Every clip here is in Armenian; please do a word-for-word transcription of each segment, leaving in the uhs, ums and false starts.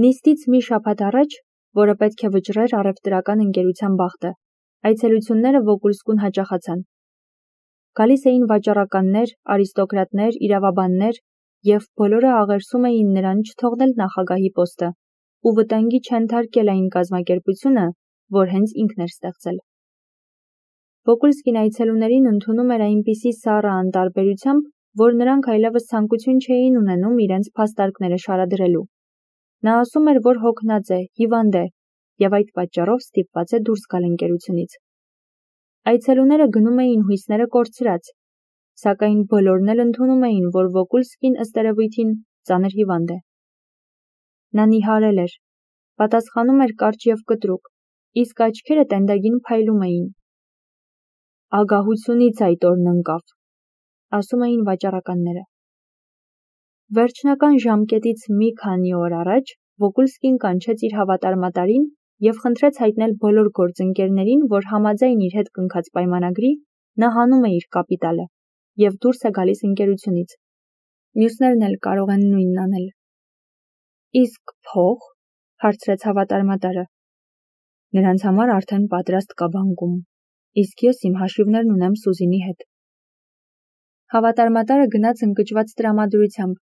Նիստից մի շաբաթ առաջ, որը պետք է վճռեր առևտրական ընկերության բախտը, այցելությունները Վոկուլսկուն հաճախացան։ Գալիս էին վաճառականներ, արիստոկրատներ, իրավաբաններ և բոլորը աղերսում էին նրան չթողնել նախագահի պոստը ու վտանգի չենթարկել այն կազմակերպությունը, որ հենց ինքն էր ստեղծել։ Վոկուլսկին այցելուներին ընդունում էր այնպիսի սառը անտարբերությամբ, որ նրանք այլևս ցանկություն չէին ունենում իրենց փաստարկները շարադրելու։ Նա ասում էր, որ հոգնած է, հիվանդ է և այդ պատճառով ստիպված է դուրս գալ ընկերությունից։ Այցելուները գնում էին հույսները կորցրած, սակայն բոլորն էլ ընդունում էին, որ Վոկուլսկին ըստ երևույթին ծանր հիվանդ է։ Նա նիհարել էր, պատասխանում էր կարճ և կտրուկ, իսկ աչքերը տենդագին փայլում էին։ Ագահությունից այդ օրն ընկավ, ասում էին վաճառականները։ Վերջնական ժամկետից մի քանի օր առաջ Վոկուլսկին կանչեց իր հավատարմատարին և խնդրեց հայտնել բոլոր գործընկերներին, որ համաձայն իր հետ կնքած պայմանագրի նա հանում է իր կապիտալը և դուրս է գալիս ընկերությունից։ Մյուսներն էլ կարող են նույնն անել։ Իսկ փող, հարցրեց հավատարմատարը։ Նրանց համար արդեն պատրաստ կա բանկում, իսկ ես իմ հաշիվներն ունեմ Սուզինի հետ։ Հավատարմատարը գնաց ընկճված տրամադրությամբ։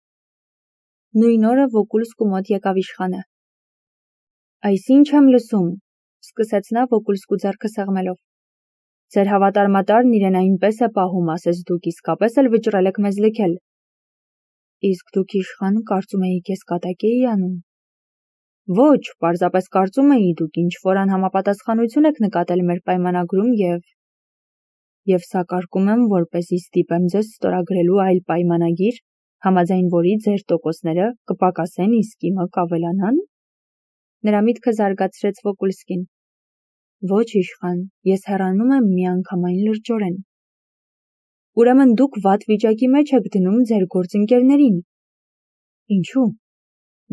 Նույն օրը Վոկուլսկու մոտ եկավ իշխանը։ Այս ինչ եմ լսում, սկսեց նա Վոկուլսկու ձեռքը սեղմելով։ Ձեր հավատարմատարն իրեն այնպես է պահում, ասես դուք իսկապես էլ վճռել եք մեզ լքել։ Իսկ դուք իշխան կարծում էիք ես կատակ էի անում։ Ոչ, պարզապես կարծում էի դուք ինչ-որ անհամապատասխանություն եք նկատել մեր պայմանագրում և… Եվ սակարկում եմ, որպեսզի ստիպեմ ձեզ ստորագրելու այլ պայմանագիր, համաձայն որի ձեր տոկոսները կպակասեն, իսկ իմը կավելանան։ Նրա միտքը զարգացրեց Վոկուլսկին։ Ոչ իշխան, ես հեռանում եմ միանգամայն լրջորեն։ Ուրեմն դուք վատ վիճակի մեջ եք դնում ձեր գործընկերներին։ Ինչու՞։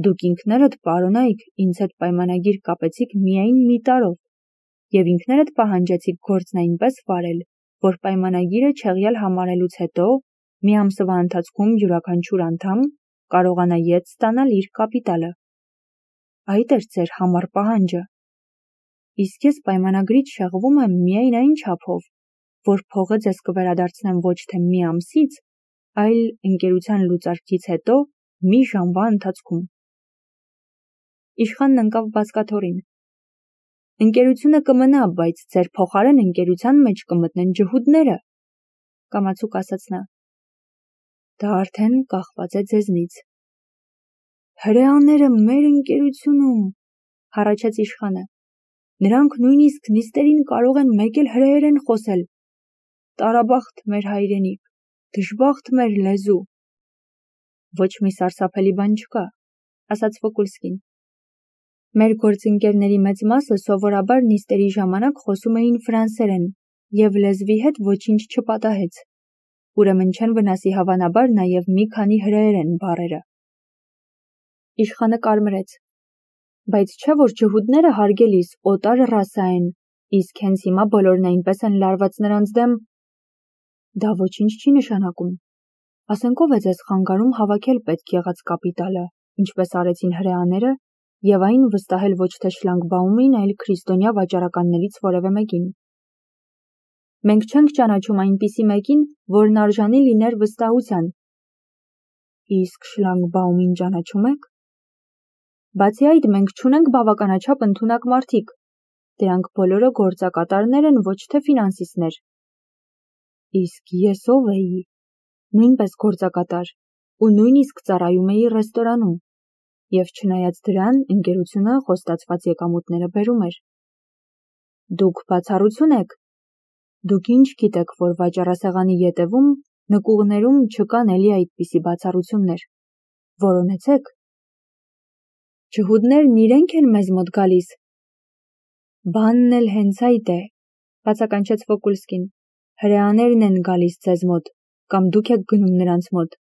Դուք ինքներդ պարոնայք ինձ հետ պայմանագիր կապեցիք միայն մի տարով և ինքներդ պահանջեցիք գործն այնպես վարել, որ պայմանագիրը չեղյալ համարելուց հետո մի ամսվա ընթացքում յուրաքանչյուր անդամ կարողանա ետ ստանալ իր կապիտալը։ Այդ էր ձեր համառ պահանջը։ Իսկ ես պայմանագրից շեղվում եմ միայն այն չափով, որ փողը ձեզ կվերադարձնեմ ոչ թե մի ամսից, այլ ընկերության լուծարքից հետո մի ժամվա ընթացքում։ Իշխանն ընկավ բազկաթոռին։ Ընկերությունը կմնա, բայց ձեր փոխարեն ընկերության մեջ կմտնեն ջհուդները, կամացուկ ասաց նա։ Դա արդեն կախված է ձեզնից։ Հրեաները մեր ընկերությունում, հառաչեց իշխանը։ Նրանք նույնիսկ նիստերին կարող են մեկ էլ հրեերեն խոսել։ Տարաբախտ մեր հայրենիք, դժբախտ մեր լեզու։ Ոչ մի սարսափելի բան չկա, ասաց Վոկուլսկին։ Մեր գործընկերների մեծ մասը սովորաբար նիստերի ժամանակ խոսում էին ֆրանսերեն և լեզվի հետ ոչինչ չպատահեց։ Ուրեմն չեն վնասի հավանաբար նաև մի քանի հրեերեն բառերը։ Իշխանը կարմրեց։ Բայց չէ՞ որ ջհուդները հարգելիս օտար ռասա են, իսկ հենց հիմա բոլորն այնպես են լարված նրանց դեմ։ Դա ոչինչ չի նշանակում։ Ասենք ով է ձեզ խանգարում հավաքել պետք եղած կապիտալը, ինչպես արեցին հրեաները, և այն վստահել ոչ թե շլագբաումին, այլ քրիստոնյա վաճառականներից որևէ մեկին։ Մենք չենք ճանաչում այնպիսի մեկին, որն արժանի լիներ վստահության։ Իսկ շլագբաումին ճանաչում եք։ Բացի այդ, մենք չունենք բավականաչափ ընդունակ մարդիկ։ Դրանք բոլորը գործակատարներ են, ոչ թե ֆինանսիստներ։ Իսկ ես ով էի։ Նույնպես գործակատար ու նույնիսկ ծառայում էի ռեստորանում։ Եվ չնայած դրան, ընկերությունը խոստացված եկամուտները բերում էր։ Դուք բացառություն եք։ Դուք ինչ գիտեք, որ վաճառասեղանի ետևում նկուղներում չկան էլի այդպիսի բացառություններ։ Որոնեցեք։ Ջհուդներն իրենք են մեզ մոտ գալիս։ Բանն էլ հենց այդ է, բացականչեց Վոկուլսկին։ Հրեաներն են գալիս ձեզ մոտ, կամ դուք եք գնում նրանց մոտ,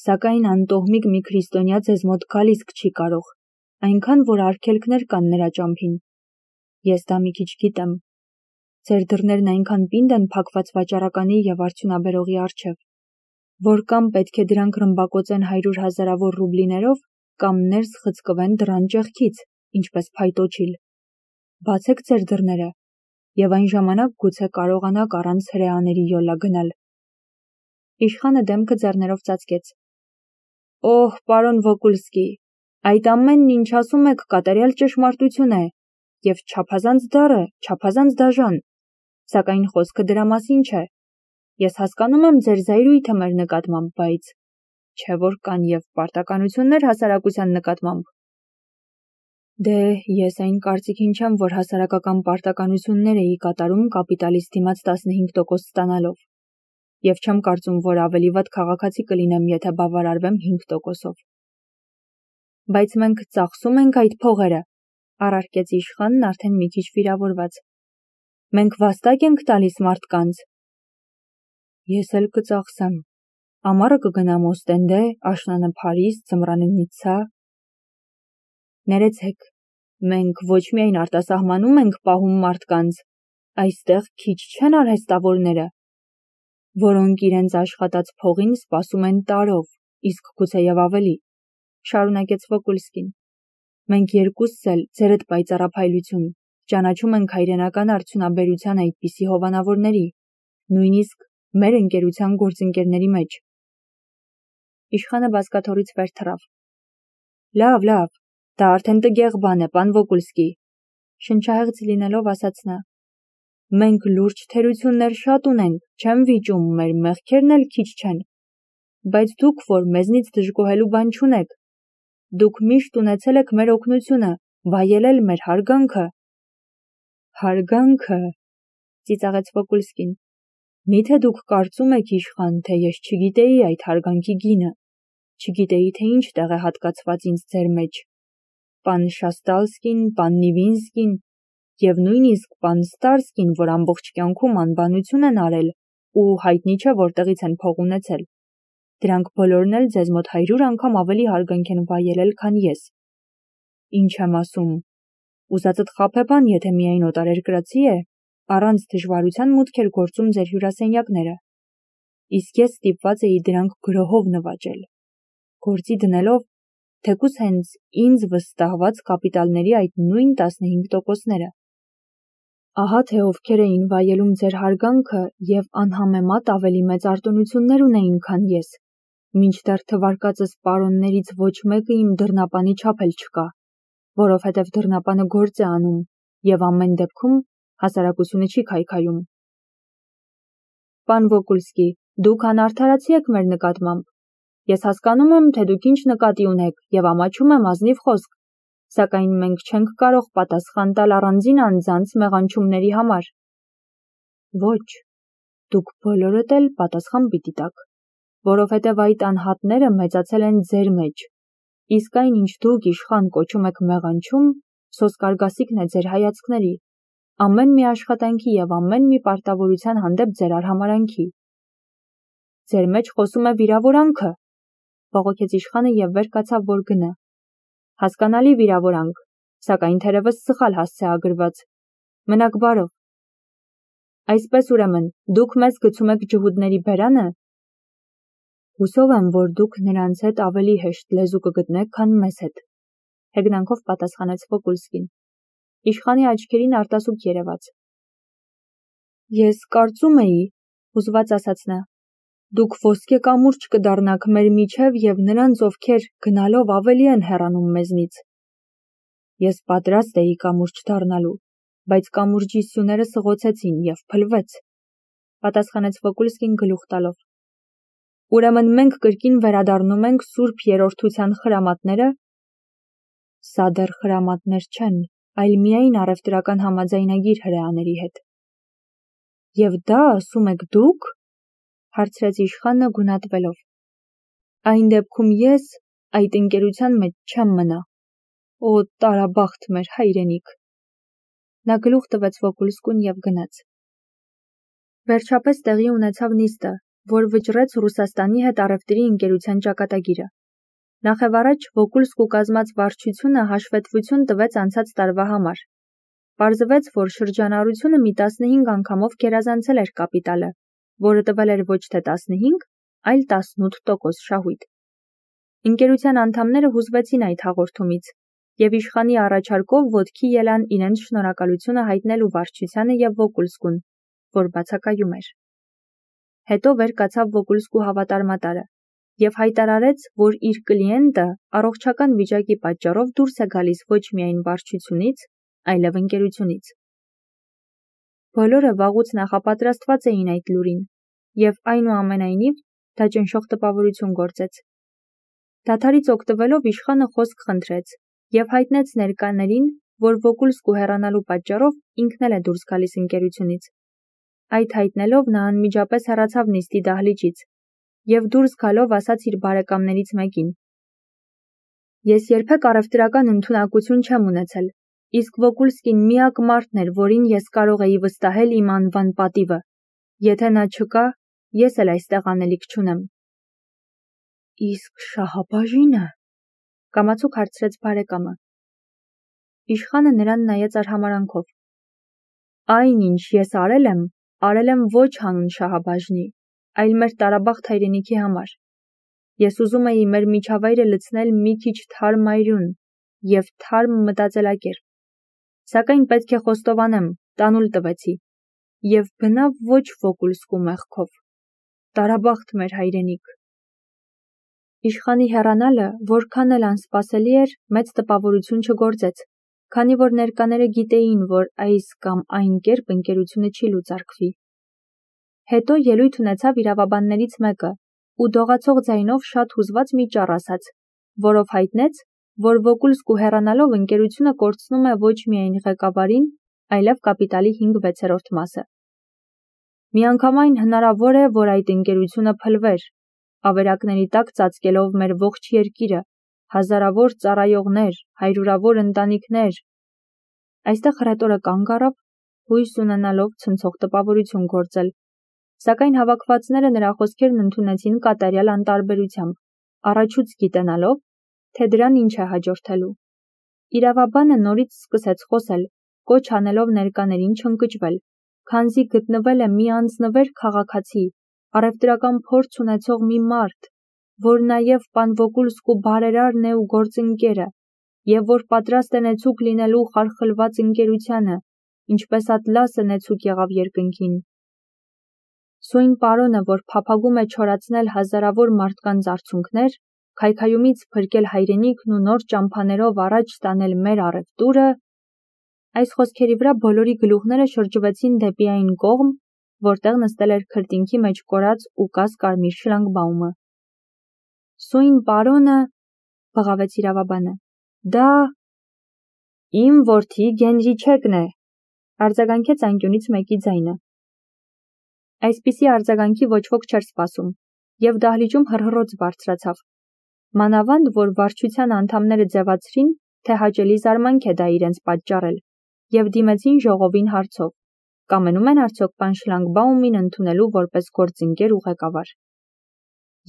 սակայն անտոհմիկ մի քրիստոնյա ձեզ մոտ գալիս չի կարող, այնքան որ արգելքներ կան նրա ճամփին։ Ես դա մի քիչ գիտեմ։ Ձեր դռներն այնքան պինդ են փակված վաճառականի և արդյունաբերողի առջև, որ կամ պետք է դրանք ռմբակոծեն հարյուր հազարավոր ռուբլիներով, կամ ներս խցկվեն դռան ճեղքից, ինչպես փայտոջիլ։ Բացեք ձեր դռները, եւ այն ժամանակ գուցե կարողանաք առանց հրեաների յոլա գնալ։ Իշխանը դեմքը ձեռներով ծածկեց։ Օհ, պարոն Վոկուլսկի, այդ ամենն, ինչ ասում եք, կատարյալ ճշմարտություն է, եւ չափազանց դառը, չափազանց դաժան, սակայն խոսքը դրա մասին չէ։ Ես հասկանում եմ ձեր զայրույթը մեր նկատմամբ, բայց չէ որ կան եւ պարտականություններ հասարակության նկատմամբ։ Դե, ես այն կարծիքին չեմ, որ հասարակական պարտականություններ էի կատարում կապիտալից դիմաց տասնհինգ տոկոս ստանալով, եւ չեմ կարծում, որ ավելի վատ քաղաքացի կլինեմ, եթե բավարարվեմ հինգ տոկոսով։ Բայց մենք ծախսում ենք այդ փողերը, առարկեց իշխանն արդեն մի քիչ վիրավորված։ Մենք վաստակ ենք տալիս մարդկանց։ Ես էլ կծախսեմ։ Ամառը կգնամ Օստենդե, աշնանը Փարիզ, ձմռանը Նիցցա։ Ներեցեք, մենք ոչ միայն արտասահմանում ենք պահում մարդկանց, այստեղ քիչ չեն արհեստավորները, որոնք իրենց աշխատած փողին սպասում են տարով, իսկ գուցեև ավելի, շարունակեց Վոկուլսկին։ Մենք երկուսս էլ, ձերդ պայծառափայլություն, ճանաչում ենք հայրենական արդյունաբերության այդպիսի հովանավորների, նույնիսկ մեր ընկերության գործընկերների մեջ։ Իշխանը բազկաթոռից վեր թռավ։ Լավ, լավ, դա արդեն տգեղ բան է, պան Վոկուլսկի, շնչահեղձ լինելով ասաց նա։ Մենք լուրջ թերություններ շատ ունենք, չեմ վիճում, մեր մեղքերն էլ քիչ չեն, բայց դուք, որ մեզնից դժգոհելու բան չունեք, դուք միշտ ունեցել եք մեր օգնությունը, վայելել մեր հարգանքը։ Հարգանքը, ծիծաղեց Վոկուլսկին։ Միթե դուք կարծում եք, իշխան, թե ես չգիտեի այդ հարգանքի գինը, չգիտեի, թե ինչ տեղ է հատկացված ինձ ձեր մեջ, պան Շաստալսկին, պան Նիվինսկին եւ նույնիսկ պան Ստարսկին, որ ամբողջ կյանքում անբանություն են արել ու հայտնի չէ որտեղից են փող ունեցել։ Դրանք բոլորն էլ ձեզ մոտ հարյուր անգամ ավելի հարգանք են վայելել, քան ես։ Ինչ եմ ասում, ուզածդ խաբեբան, եթե միայն օտարերկրացի է, առանց դժվարության մուտք էր գործում ձեր հյուրասենյակները, իսկ ես ստիպված էի դրանք գրոհով նվաճել, գործի դնելով, թեկուզ հենց ինձ վստահված կապիտալների այդ նույն տասնհինգ տոկոսները։ Ահա թե ովքեր էին վայելում ձեր հարգանքը եւ անհամեմատ ավելի մեծ արտոնություններ ունեին, քան ես, մինչդեռ թվարկածս պարոններից ոչ մեկը իմ դռնապանի չափ էլ չկա, որովհետև դռնապանը գործ է անում եւ ամեն դեպքում հասարակությունը չի քայքայում։ Պան Վոկուլսկի, դուք անարդարացի եք մեր նկատմամբ։ Ես հասկանում եմ, թե դուք ինչ նկատի ունեք եւ ամաչում եմ ազնիվ խոսք, սակայն մենք չենք կարող պատասխան տալ առանձին անձանց մեղանչումների համար։ Ոչ, դուք բոլորդ էլ պատասխան պիտի տաք, որովհետև այդ անհատները մեծացել են ձեր մեջ, իսկ այն, ինչ դուք իշխան կոչում եք մեղանչում, սոսկարգասիքն է ձեր հայացքների, ամեն մի աշխատանքի եւ ամեն մի պարտավորության հանդեպ ձեր արհամարանքի։ Ձեր մեջ խոսում է վիրավորանքը, բողոքեց իշխանը եւ վեր կացավ, որ գնա։ Հասկանալի վիրավորանք, սակայն թերևս սխալ հասցեագրված։ Մնաք բարով։ Այսպես ուրեմն, դուք մեզ գցում եք ջհուդների բերանը։ Հուսով եմ, որ դուք նրանց հետ ավելի հեշտ լեզու կգտնեք, քան մեզ հետ, հեգնանքով պատասխանեց Վոկուլսկին։ Իշխանի աչքերին արտասուք երևաց։ Ես կարծում էի, հուզված ասաց նա, դուք ոսկե կամուրջ կդառնաք մեր միջև եւ նրանց, ովքեր գնալով ավելի են հեռանում մեզնից։ Ես պատրաստ էի կամուրջ դառնալու, բայց կամուրջի սյուները սղոցեցին եւ փլվեց, պատասխանեց Վոկուլսկին գլուխ տալով։ Ուրեմն մենք կրկին վերադառնում ենք Սուրբ Երրորդության խրամատները։ Սա դեռ խրամատներ չեն, այլ միայն առևտրական համաձայնագիր հրեաների հետ։ Եվ դա ասում եք դուք, հարցրեց իշխանը գունատվելով։ Այն դեպքում ես այդ ընկերության մեջ չեմ մնա։ Օ, տարաբախտ մեր հայրենիք։ Նա գլուխ տվեց Վոկուլսկուն եւ գնաց։ Վերջապես տեղի ունեցավ նիստը, որ վճռեց Ռուսաստանի հետ առևտրի ընկերության ճակատագիրը։ Նախևառաջ Վոկուլսկու կազմած վարչությունը հաշվետվություն տվեց անցած տարվա համար։ Պարզվեց, որ շրջանառությունը մի տասնհինգ անգամով գերազանցել էր կապիտալը, որը տվել էր ոչ թե տասնհինգ, այլ տասնութ տոկոս շահույթ։ Ընկերության անդամները հուզվեցին այդ հաղորդումից և իշխանի առաջարկով ոտքի ելան իրենց շնորհակալությունը հայտնելու վարչությանը և Վոկուլսկուն, որ բացակայում էր։ Հետո վեր կացավ Վոկուլսկու հավատարմատարը և հայտարարեց, որ իր կլիենտը առողջական վիճակի պատճառով դուրս է գալիս ոչ միայն վարչությունից, այլև ընկերությունից։ Բոլորը վաղուց նախապատրաստված էին այդ լուրին, և այնուամենայնիվ դա ճնշող տպավորություն գործեց։ Դադարից օգտվելով իշխանը խոսք խնդրեց և հայտնեց ներկաներին, որ Վոկուլսկու հեռանալու պատճառով ինքն էլ է դուրս գալիս ընկերությունից։ Այդ հայտնելով նա անմիջապես հեռացավ նիստի դահլիճից և դուրս գալով ասաց իր բարեկամներից մեկին. «Ես երբեք առևտրական ընդունակություն չեմ ունեցել, իսկ Վոկուլսկին միակ մարդն էր, որին ես կարող էի վստահել իմ անվան պատիվը։ Եթե նա չկա, ես էլ այստեղ անելիք չունեմ»։ «Իսկ Շահաբաժի՞նը», կամացուկ հարցրեց բարեկամը։ Իշխանը նրան նայեց արհամարհանքով. «Այն, ինչ ես արել եմ, արել եմ ոչ հանուն Շահաբաժնի, այլ մեր տարաբախտ հայրենիքի համար։ Ես ուզում էի մեր միջավայրը լցնել մի քիչ թարմ այրուն և թարմ մտածելակերպ։ Սակայն պետք է խոստովանեմ, տանուլ տվեցի։ Եվ բնավ ոչ Վոկուլսկու մեղքով։ Տարաբախտ մեր հայրենիք»։ Իշխանի հեռանալը, որքան էլ անսպասելի էր, մեծ տպավորություն չգործեց, քանի որ ներկաները գիտեին, որ այս կամ այն կերպ ընկերությունը չի լուծարկվի։ Հետո ելույթ ունեցավ իրավաբաններից մեկը ու դողացող ձայնով շատ հուզված մի ճառ ասաց, որով հայտնեց, որ Վոկուլսկու հեռանալով ընկերությունը կորցնում է ոչ միայն ղեկավարին, այլև կապիտալի հինգ-վեցերորդ մասը։ Միանգամայն հնարավոր է, որ այդ ընկերությունը փլվեր, ավերակների տակ ծածկելով մեր ողջ երկիրը, հազարավոր ծառայողներ, հարյուրավոր ընտանիքներ։ Այստեղ հռետորը կանգ առավ, հույս ունենալով ցնցող տպավորություն գործել, սակայն հավաքվածները նրա խոսքերն ընդունեցին կատարյալ անտարբերությամբ, առաջուց գիտենալով, թե դրան ինչ է հաջորդելու։ Իրավաբանը նորից սկսեց խոսել, կոչ անելով ներկաներին չընկճվել, քանզի գտնվել է մի անձնվեր քաղաքացի, առևտրական փորձ ունեցող մի մարդ, որ նաև պան Վոկուլսկու բարերարն է ու գործընկերը, և որ պատրաստ է նեցուկ լինելու խարխլված ընկերությանը, ինչպես Ատլասը նեցուկ եղավ երկնքին։ Սույն պարոնը, որ փափագում է չորացնել հազարավոր մարդկանց արցունքներ, քայքայումից փրկել հայրենիքն ու նոր ճամփաներով առաջ տանել մեր առևտուրը։ Այս խոսքերի վրա բոլորի գլուխները շրջվեցին դեպի այն կողմ, որտեղ նստել էր քրտինքի մեջ կորած ու կաս կարմիր շլագբաումը։ Սույն պարոնը, բղավեց իրավաբանը, դա իմ որդի Գենրիչեկն է, արձագանքեց անկյունից մեկի ձայնը։ Այսպիսի արձագանքի ոչ ոք չէր սպասում, և դահլիճում հռհռոց բարձրացավ։ Մանավանդ, որ վարչության անդամները ձևացրին, թե հաճելի զարմանք է դա իրենց պատճառել, և դիմեցին ժողովին հարցով. կամենում են արդյոք պան Շլագբաումին ընդունելու որպես գործընկեր ու ղեկավար։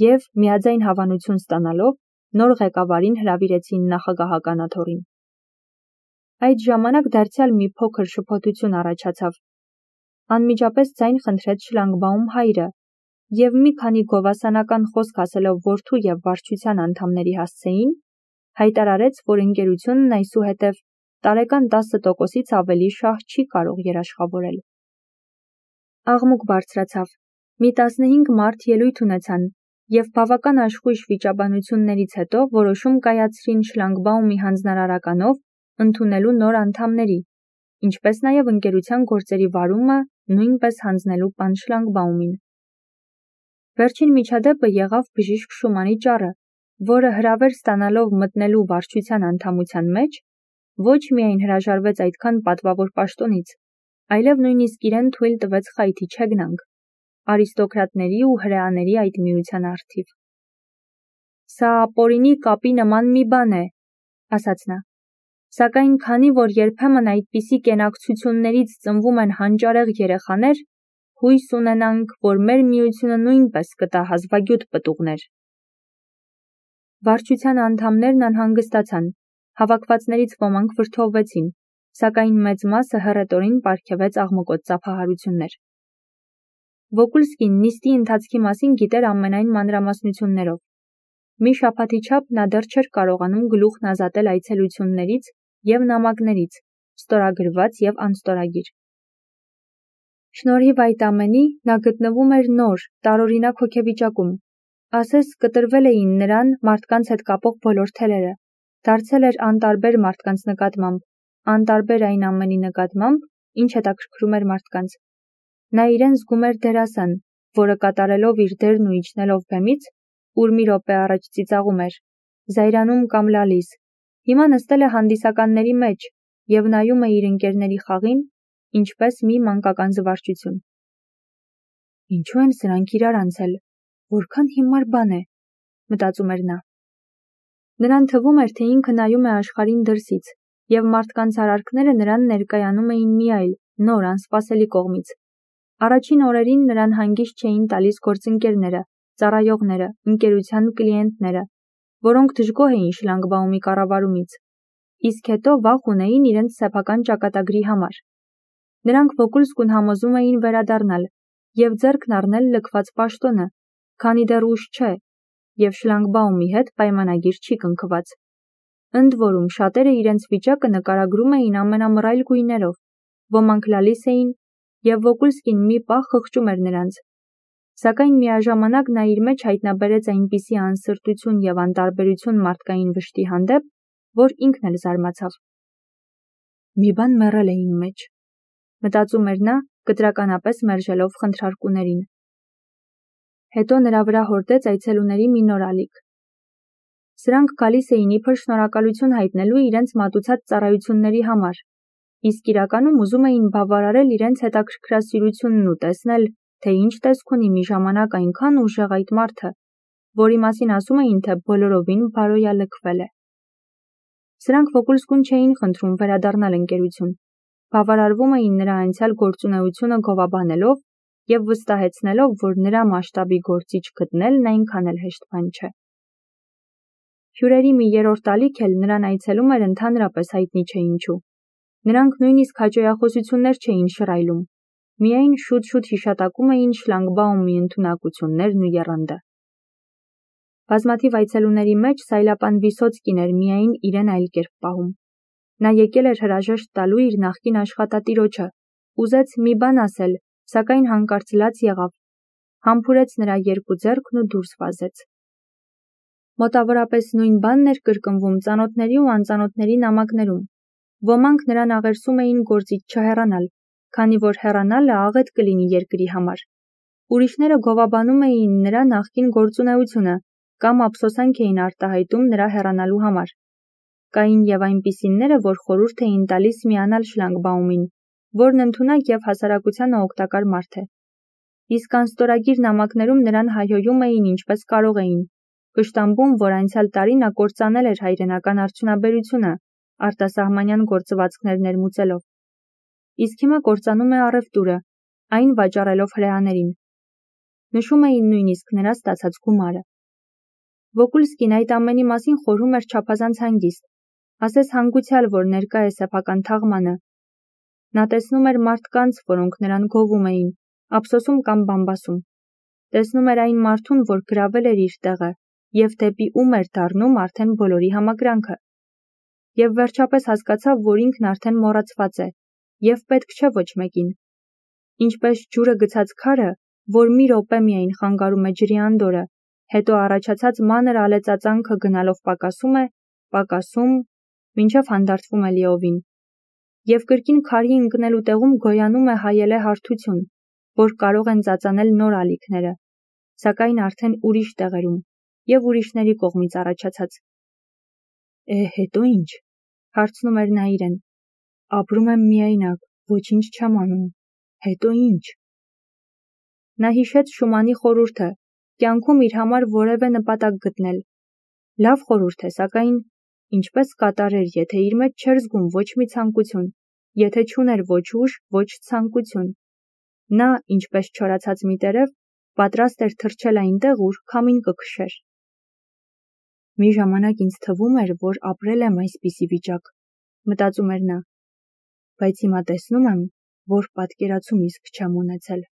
Եվ, միաձայն հավանություն ստանալով, նոր ղեկավարին հրավիրեցին նախագահական աթոռին։ Այդ ժամանակ դարձյալ մի փոքր շփոթություն առաջացավ։ Անմիջապես ձայն խնդրեց Շլագբաում հայրը, և մի քանի գովասանական խոսք ասելով որդու և վարչության անդամների հասցեին, հայտարարեց, որ ընկերությունն այսուհետև տարեկան տասը տոկոսից ավելի շահ չի կարող երաշխավորել։ Աղմուկ բարձրացավ, մի տասնհինգ մարդ ելույթ ունեցան և բավական աշխույժ վիճաբանություններից հետո որոշում կայացրին Շլագբաումի հանձնարարականով ընդունելու նոր անդամների, ինչպես նաև ընկերության գործերի վարումը նույնպես հանձնելու պան Շլագբաումին։ Վերջին միջադեպը եղավ բժիշկ Շումանի ճառը, որը հրավեր ստանալով մտնելու վարչության անդամության մեջ, ոչ միայն հրաժարվեց այդքան պատվավոր պաշտոնից, այլև նույնիսկ իրեն թույլ տվեց խայթի չեգնանք, արիստոկրատների ու հրեաների այդ միության առթիվ։ «Սա ապօրինի կապի նման մի բան է», ասաց նա, «սակայն քանի որ երբեմն այդպիսի կենակցություններից ծնվում են հանճարեղ երեխաներ, հույս ունենանք, որ մեր միությունը նույնպես կտա հազվագյուտ պտուղներ»։ Վարչության անդամներն անհանգստացան, հավաքվածներից ոմանք վրդովվեցին, սակայն մեծ մասը հռետորին պարգևեց աղմկոտ ծափահարություններ։ Վոկուլսկին նիստի ընթացքի մասին գիտեր ամենայն մանրամասնություններով։ Մի շաբաթի չափ նա դեռ չէր կարողանում գլուխն ազատել այցելություններից և նամակներից, ստորագրված և անստորագիր։ Շնորհիվ այդ ամենի նա գտնվում էր նոր, տարօրինակ հոգեվիճակում։ Ասես կտրվել էին նրան մարդկանց հետ կապող բոլոր թելերը, դարձել էր անտարբեր մարդկանց նկատմամբ, անտարբեր այն ամենի նկատմամբ, ինչ հետաքրքրում էր մարդկանց։ Նա իրեն զգում էր դերասան, որը կատարելով իր դերն ու իջնելով բեմից, ուր մի րոպե առաջ ծիծաղում էր, զայրանում կամ լալիս, հիմա նստել է հանդիսականների մեջ և նայում է իր ընկերների խաղին, ինչպես մի մանկական զվարճություն։ Ինչու են սրանք իրար անցել, որքան հիմար բան է, մտածում էր նա։ Նրան թվում էր, թե ինքը նայում է աշխարհին դրսից, և մարդկանց արարքները նրան ներկայանում էին մի այլ, նոր, անսպասելի կողմից։ Առաջին օրերին նրան հանգիստ չէին տալիս գործընկերները, ծառայողները, ընկերության կլիենտները, որոնք դժգոհ էին շլագբաումի կառավարումից, իսկ հետո վախ ունեին իրենց սեփական ճակատագրի համար։ Նրանք Վոկուլսկուն համոզում էին վերադառնալ և ձեռքն առնել լքված պաշտոնը, քանի դեռ ուշ չէ, և շլագբաումի հետ պայմանագիր չի կնքված։ Ընդ որում, շատերը իրենց վիճակը նկարագրում էին ամենամռայլ գույներով, ոմանք լալիս էին, և Վոկուլսկին մի պահ խղճում էր նրանց։ Սակայն միաժամանակ նա իր մեջ հայտնաբերեց այնպիսի անսրտություն և անտարբերություն մարդկային վշտի հանդեպ, որ ինքն էլ զարմացավ։ Մի բան մեռել է իմ մեջ, մտածում էր նա, կտրականապես մերժելով խնդրարկուներին։ Հետո նրա վրա հորդեց այցելուների մի նոր ալիք։ Սրանք գալիս էին իբր շնորհակալություն հայտնելու իրենց մատուցած ծառայությունների համար, իսկ իրականում ուզում էին բավարարել իրենց հետաքրքրասիրությունն ու տեսնել, թե ինչ տեսք ունի մի ժամանակ այնքան ուժեղ այդ մարդը, որի մասին ասում էին, թե բոլորովին բարոյալքվել է։ Սրանք Վոկուլսկուն չէին խնդրում վերադառնալ ընկերություն, բավարարվում էին նրա անցյալ գործունեությունը գովաբանելով և վստահեցնելով, որ նրա մասշտաբի գործիչ գտնելն այնքան էլ հեշտ բան չէ։ Հյուրերի մի երրորդ ալիք էլ նրան այցելում էր ընդհանրապես հայտնի չէ ինչու։ Նրանք նույնիսկ հաճոյախոսություններ չէին շռայլում, միայն շուտ-շուտ հիշատակում էին շլագբաումի ընդունակություններն ու եռանդը։ Բազմաթիվ այցելուների մեջ Սայլապան Վիսոցկին էր միայն իրեն այլ կերպ պահում։ Նա եկել էր հրաժեշտ տալու իր նախկին աշխատատիրոջը, ուզեց մի բան ասել, սակայն հանկարծ լաց եղավ, համբուրեց նրա երկու ձեռքն ու դուրս վազեց։ Մոտավորապես նույն բանն էր կրկնվում ծանոթների ու անծանոթների նամակներում։ Ոմանք նրան աղերսում էին գործից չհեռանալ, քանի որ հեռանալը աղետ կլինի երկրի համար։ Ուրիշները գովաբանում էին նրա նախկին գործունեությունը կամ ափսոսանք էին արտահայտում նրա հեռանալու համար։ Կային և այնպիսիները, որ խորհուրդ էին տալիս միանալ շլագբաումին, որն ընդունակ և հասարակությանը օգտակար մարդ է։ Իսկ անստորագիր նամակներում նրան հայհոյում էին ինչպես կարող էին, վշտամբում, որ անցյալ տարի նա կործանել էր հայրենական արդյունաբերությունը, արտասահմանյան գործվածքներ ներմուծելով։ Իսկ հիմա կործանում է առևտուրը, այն վաճառելով հրեաներին։ Նշում էին նույնիսկ նրա ստացած գումարը։ Վոկուլսկին այդ ամենի մասին խորհում էր չափազանց հանգիստ, ասես հանգուցյալ, որ ներկա է սեփական թաղմանը։ Նա տեսնում էր մարդկանց, որոնք նրան գովում էին, ափսոսում կամ բամբասում։ Տեսնում էր այն մարդուն, որ գրավել էր իր տեղը, և դեպի ում էր դառնում արդեն բոլորի համակրանքը։ Եվ վերջապես հասկացավ, որ ինքն արդեն մոռացված է, և պետք չէ ոչ մեկին։ Ինչպես ջուրը գցած քարը, որ մի րոպե միայն խանգարում է ջրի անդորրը, հետո առաջացած մանր ալեծածանքը գնալով պակասում է, պակասում, մինչև հանդարտվում է լիովին։ Եվ կրկին քարի ընկնելու տեղում գոյանում է հայելե հարթություն, որ կարող են ծածանել նոր ալիքները, սակայն արդեն ուրիշ տեղերում և ուրիշների կողմից առաջացած։ Է, հետո ինչ, հարցնում էր նա իրեն։ Ապրում եմ միայնակ, ոչինչ չեմ անում, հետո ինչ։ Նա հիշեց Շումանի խորհուրդը, կյանքում իր համար որևէ նպատակ գտնել։ Լավ խորհուրդ է, սակայն ինչպես կատարեր, եթե իր մեջ չէր զգում ոչ մի ցանկություն, եթե չուներ ոչ ուժ, ոչ ցանկություն։ Նա, ինչպես չորացած մի տերև, պատրաստ էր թռչել այնտեղ, ուր քամին կքշեր։ Մի ժամանակ ինձ թվում էր, որ ապրել եմ այսպիսի վիճակ, մտածում էր նա, բայց հիմա տեսնում եմ, որ պատկերացում իսկ չեմ ունեցել։